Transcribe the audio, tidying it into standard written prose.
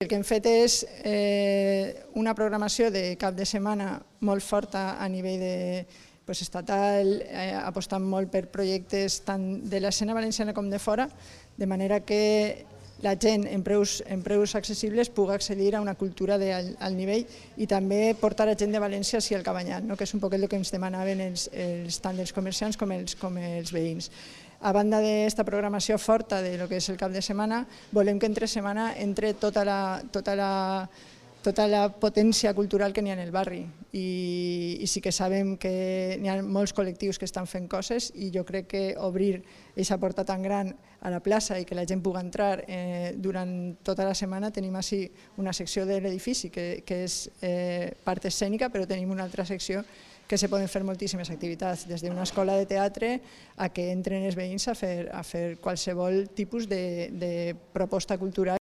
El que hem fet és una programació de cap de setmana molt forta a nivell estatal, apostant molt per projectes tant de l'escena valenciana com de fora, de manera que la gent en preus accessibles pugui accedir a una cultura d'alt nivell i també portar a gent de València al Cabanyal, que és un poc el que ens demanaven tant els comerciants com els veïns. A banda d'aquesta programació forta del que és el cap de setmana, volem que entre setmana entre tota la potència cultural que n'hi ha en el barri i sí que sabem que n'hi ha molts col·lectius que estan fent coses i jo crec que obrir aquesta porta tan gran a la plaça i que la gent pugui entrar durant tota la setmana. Tenim així una secció de l'edifici que és part escènica, però tenim una altra secció que se poden fer moltíssimes activitats, des d'una escola de teatre a que entren els veïns a fer qualsevol tipus de proposta cultural.